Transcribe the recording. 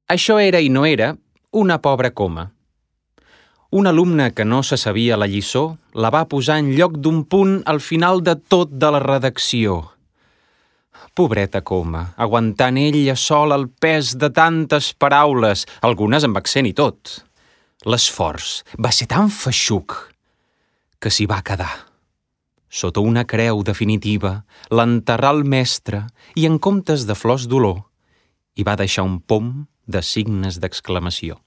Això era i no era una pobra coma. Un alumne que no se sabia la lliçó la va posar en lloc d'un punt al final de tot de la redacció. Pobreta coma, aguantant ella sola el pes de tantes paraules, algunes amb accent i tot. L'esforç va ser tan feixuc que s'hi va quedar. Sota una creu definitiva, l'enterrà el mestre i en comptes de flors d'olor hi va deixar un pom de signes d'exclamació.